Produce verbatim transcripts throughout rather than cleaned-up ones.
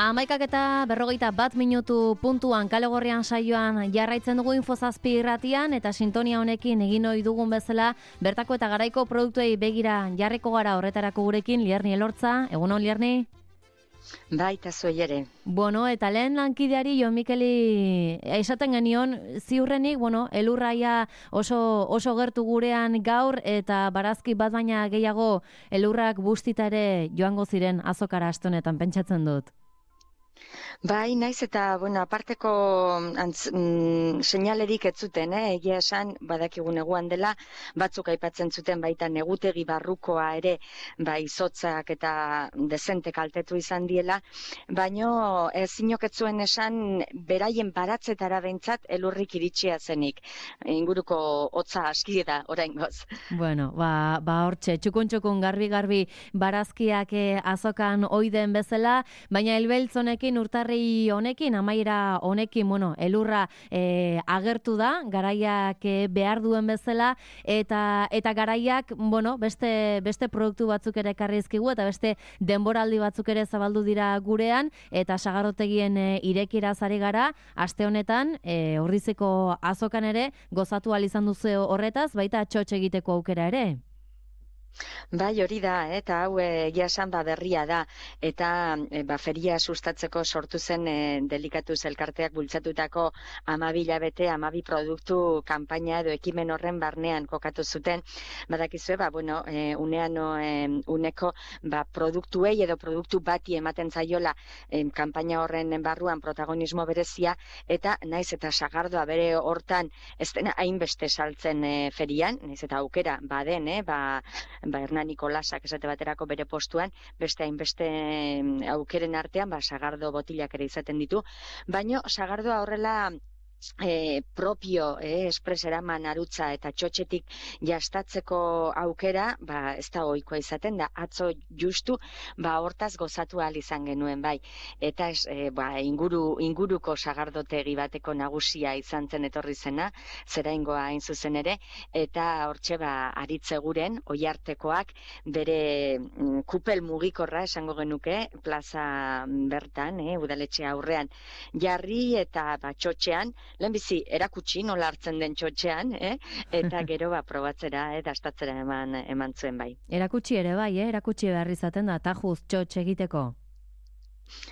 Amaikak eta berrogeita bat minutu puntuan kale gorrian saioan jarraitzen dugu Infozazpi irratian eta sintonia honekin egin ohi dugun bezala bertako eta garaiko produktuei begira jarriko gara horretarako gurekin Lierni Elortza. Egunon Lierni? Baita zuei ere. Bueno, eta lehen lankideari Jon Mikeli esaten genion ziurrenik, bueno, elurraia oso, oso gertu gurean gaur eta barazki bat baina gehiago elurrak bustita ere joango ziren azokara aste honetan pentsatzen dut. Bai, naiz eta, bueno, aparteko antz, mm, seinalerik ez zuten, eh? Egia esan, badakigu neguan dela, batzuk aipatzen zuten baita negutegi barrukoa ere, bai, izotzak eta dezente kaltetu izan diela, baino ez zuen esan, beraien baratzetara behintzat elurrik iritsia zenik. Inguruko hotza aski da, oraingoz. Bueno, ba, ba hortxe, txukun-txukun garbi-garbi barazkiak eh, azokan oiden bezala, baina elbeltz honekin urtarri honekin, amaiera honekin, bueno, elurra e, agertu da, garaiak e, behar duen bezala, eta eta garaiak, bueno, beste, beste produktu batzuk ere ekarrizkigu, eta beste denboraldi batzuk ere zabaldu dira gurean, eta sagarrotegien e, irekira zari gara, aste honetan, e, Orrizeko azokan ere, gozatu ahal izan duzu horretaz, baita txotx egiteko aukera ere. Bai, hori da, eta hau egia esan ba berria da, eta e, ba, feria sustatzeko sortu zen e, delikatuz elkarteak bultzatutako hamabi hilabete, hamabi produktu kanpaina edo ekimen horren barnean kokatu zuten. Badakizue, ba, bueno, e, unean o, e, uneko ba, produktuei edo produktu bati ematen zaiola e, kanpaina horren barruan protagonismo berezia, eta naiz eta sagardoa bere hortan ez dena hainbeste saltzen e, ferian, naiz eta aukera baden, eh, ba, ba, Hernan Nikolasak esate baterako bere postuan, beste hainbeste aukeren artean, ba, sagardo botilak ere izaten ditu, baino sagardoa horrela E, propio, e, espreseraman arutza eta txotxetik jastatzeko aukera, ba, ez da ohikoa izaten da, atzo justu, ba, hortaz gozatu ahal izan genuen, bai, eta ez, e, ba, inguru, inguruko sagardotegi bateko nagusia izan zen etorri zena, zeraingoa hain zuzen ere, eta hortxe, ba, aritze guren, oiartekoak, bere mm, kupel mugikorra esango genuke, plaza bertan, e, udaletxe aurrean, jarri eta ba, txotxean, lehenbizi erakutsi nola hartzen den txotxean, eh? Eta gero ba, probatzera eta astatzera eman, eman zuen bai. Erakutsi ere bai, eh? Erakutsi behar izaten da, tajuz txotx egiteko.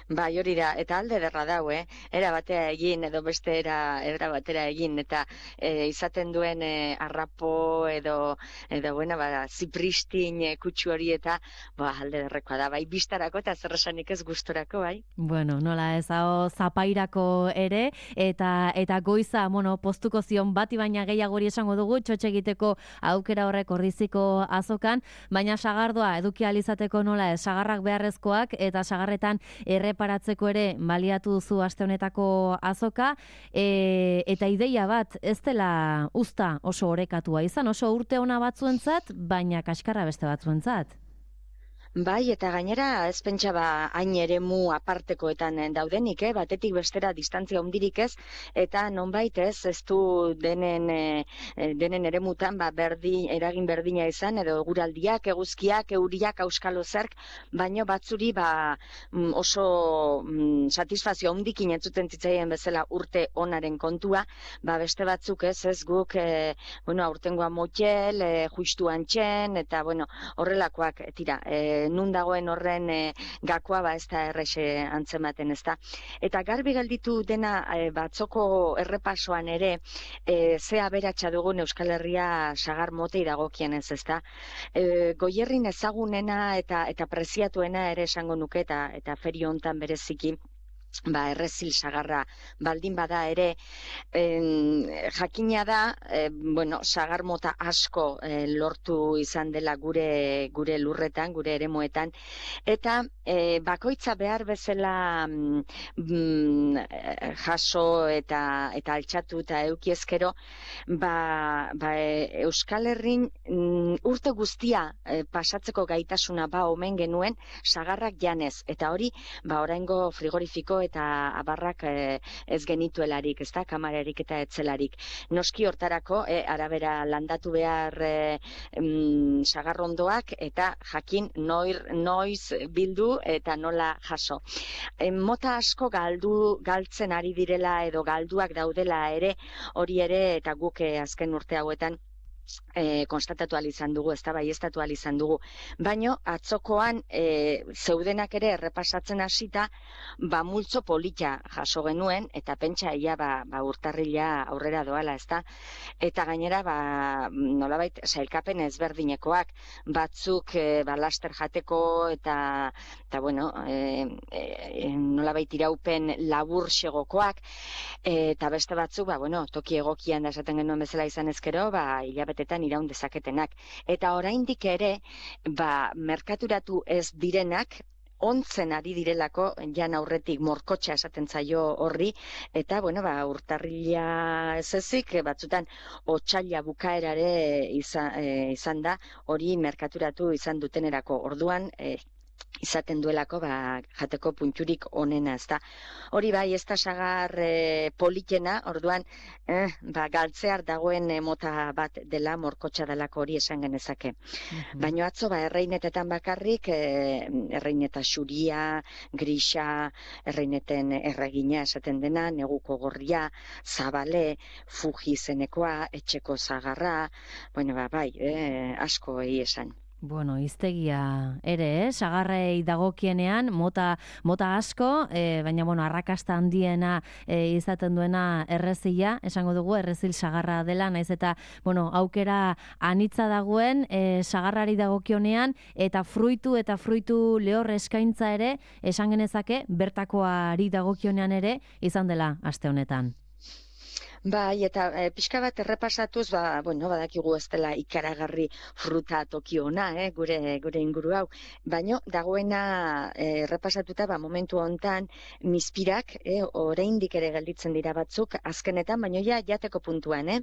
Bai, hori da, eta alde derra dau, eh? Era batera egin, edo beste era, era batera egin, eta e, izaten duen e, arrapo edo, edo bueno, ba, zipristin e, kutsu hori eta ba, alde derrekoa da, bai, biztarako eta zerresanik ez gustorako, bai. Bueno, nola ez, hau zapairako ere, eta eta goiza, bueno, postuko zion bati baina gehiago hori esango dugu, txotxe egiteko aukera horrek Orriziko azokan, baina sagardoa eduki ahal izateko nola ez, sagarrak beharrezkoak eta sagarretan erreparatzeko ere baliatu duzu aste honetako azoka, e, eta ideia bat ez dela uzta oso orekatua izan, oso urte ona batzuentzat, baina kaskarra beste batzuentzat. Bai, eta gainera ez pentsa ba hain eremu apartekoetan daudenik, eh? Batetik bestera distantzia handirik ez, eta nonbait ez, ez du denen, e, denen eremutan ba, berdi, eragin berdina izan, edo eguraldiak, eguzkiak, euriak, auskalo zerk, baino batzuri ba, oso mm, satisfazio handikin entzuten zitzaien bezala urte onaren kontua, ba beste batzuk ez, ez guk, e, bueno, aurtengoa motxel, e, justuan txen, eta bueno, horrelakoak tira, e, nun dagoen horren e, gakoa ba ez da errexe antzematen, ez da. Eta garbi gelditu dena e, batzoko errepasoan ere e, ze aberatsa dugun Euskal Herria sagar motei dagokienez, ez da. E, Goierrin ezagunena eta eta preziatuena ere esango nuke eta eta feri hontan bereziki ba, errezil sagarra baldin bada ere, en, jakina da, e, bueno, sagar mota asko e, lortu izan dela gure gure lurretan, gure eremuetan, eta e, bakoitza behar bezala mm, jaso eta eta altxatu eta eukiezkero, ba, ba, e, Euskal Herrin mm, urte guztia e, pasatzeko gaitasuna ba omen genuen sagarrak janez, eta hori, ba, oraingo frigorifiko eta abarrak e, ez genituelarik, ez da, kamararik eta etzelarik. Noski hortarako, e, arabera landatu behar e, mm, sagarrondoak eta jakin noir, noiz bildu eta nola jaso. E, mota asko galdu, galtzen ari direla edo galduak daudela ere, hori ere eta guk e, azken urte hauetan E, konstatatu izan dugu, ez da baieztatu izan dugu. Baino, atzokoan e, zeudenak ere errepasatzen hasita, ba multzo polita jaso genuen, eta pentsa ia ba, ba urtarrila aurrera doala, ez da? Eta gainera, ba, nolabait, sailkapen ezberdinekoak, batzuk e, ba, laster jateko, eta, eta bueno, e, e, nolabait iraupen labur segokoak, e, eta beste batzuk, ba, bueno, toki egokian da esaten genuen bezala izan ezkero, ba, hilabete tetan iraun dezaketenak. Eta oraindik ere, ba, merkaturatu ez direnak, ontzen ari direlako, jan aurretik morkotxa esaten zaio horri, eta, bueno, ba, urtarrila ez ezik, batzutan, otsaila bukaerare izan, e, izan da, hori merkaturatu izan dutenerako. Orduan, e, izaten duelako ba, jateko punturik onena, ez da. Hori bai, ez da sagar e, politena, orduan eh, ba, galtzear dagoen e, mota bat dela, morkotxa delako hori esan genezake. Mm-hmm. Baina atzo, ba, erreinetetan bakarrik, e, erreineta xuria, grisa, erreineten erregina esaten dena, neguko gorria, zabale, fuji zenekoa, etxeko zagarra, bueno, ba, bai, eh, asko egi esan. Bueno, iztegia ere, eh? Sagarrei dagokienean, mota, mota asko, eh, baina, bueno, arrakasta handiena eh, izaten duena errezila, esango dugu, errezil sagarra dela, naiz eta, bueno, aukera anitza dagoen, eh, sagarrari dagokionean, eta fruitu eta fruitu lehor eskaintza ere, esan genezake, bertakoari dagokionean ere, izan dela aste honetan. Bai, eta e, pixka bat errepasatuz, ba, bueno, badakigu ez dela ikaragarri fruta toki ona, eh, gure, gure inguru hau. Baino, dagoena e, errepasatuta, ba, momentu hontan, mispirak, eh, oraindik ere gelditzen dira batzuk, azkenetan, baino ja, jateko puntuan, eh.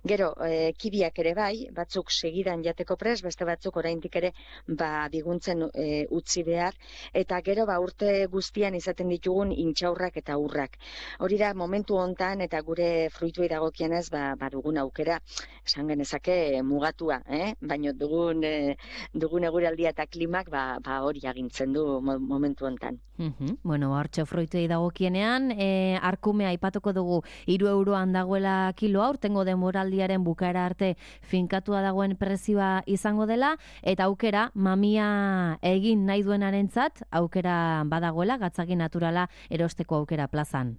Gero, e, kibiak ere bai, batzuk segidan jateko pres, beste batzuk oraindik ere, ba, biguntzen e, utzi behar, eta gero, ba, urte guztian izaten ditugun intxaurrak eta urrak. Hori da, momentu hontan, eta gure fruituei dagokienez, ba, ba dugun aukera, esan genezake mugatua, eh? Baina dugun, e, dugun eguraldia eta klimak ba, ba hori agintzen du momentu hontan. Mm-hmm. Bueno, hartxo fruituei dagokienean, e, arkumea aipatuko dugu hiru euroan dagoela kiloa, urtengo denboraldiaren bukaera arte finkatua dagoen prezioa izango dela, eta aukera mamia egin nahi duenarentzat, aukera badagoela, gatzagi naturala erosteko aukera plazan.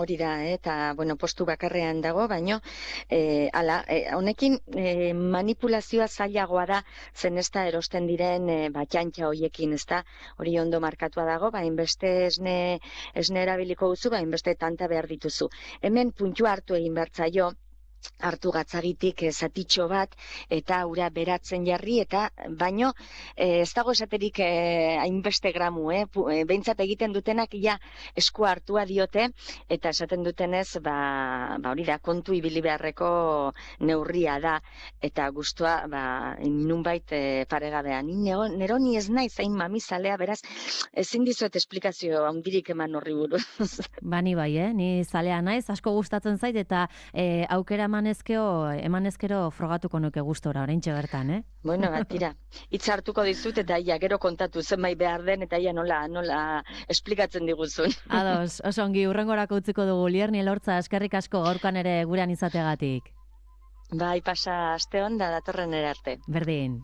Hori da, eh? Eta, bueno, postu bakarrean dago, baino, eh, ala, eh, honekin eh, manipulazioa zailagoa da, zen ez da erosten diren eh, batxantxa hoiekin, ez da, hori ondo markatua dago, bain beste esne, esne erabiliko duzu, bain beste tanta behar dituzu. Hemen puntua hartu egin bertzaio, hartu gatzagitik zatitxo bat, eta ura beratzen jarri, eta baino eh, ez dago esaterik eh, hainbeste gramu, eh? Behintzat egiten dutenak ja esku hartua diote, eta esaten dutenez, ba, ba hori da, kontu ibili beharreko neurria da, eta gustua, ba, nunbait eh, paregabean. Nero ni ez naiz hain mamizalea, beraz, ezin dizuet esplikazio handirik eman horri buruz. Bani bai, eh? Ni zalea naiz, asko gustatzen zait, eta eh, aukera emanezkeo, emanezkero frogatuko nuke gustora, oraintxe bertan, eh? Bueno, bat, tira, hitz hartuko dizut, eta ia, gero kontatu zenbait behar den, eta ia nola, nola esplikatzen diguzun. Ados, oso ongi, urrengorako utziko dugu, Lierni Elortza, eskerrik asko gaurkan ere gurean izateagatik. Bai, pasa aste on da datorren ere arte. Berdin.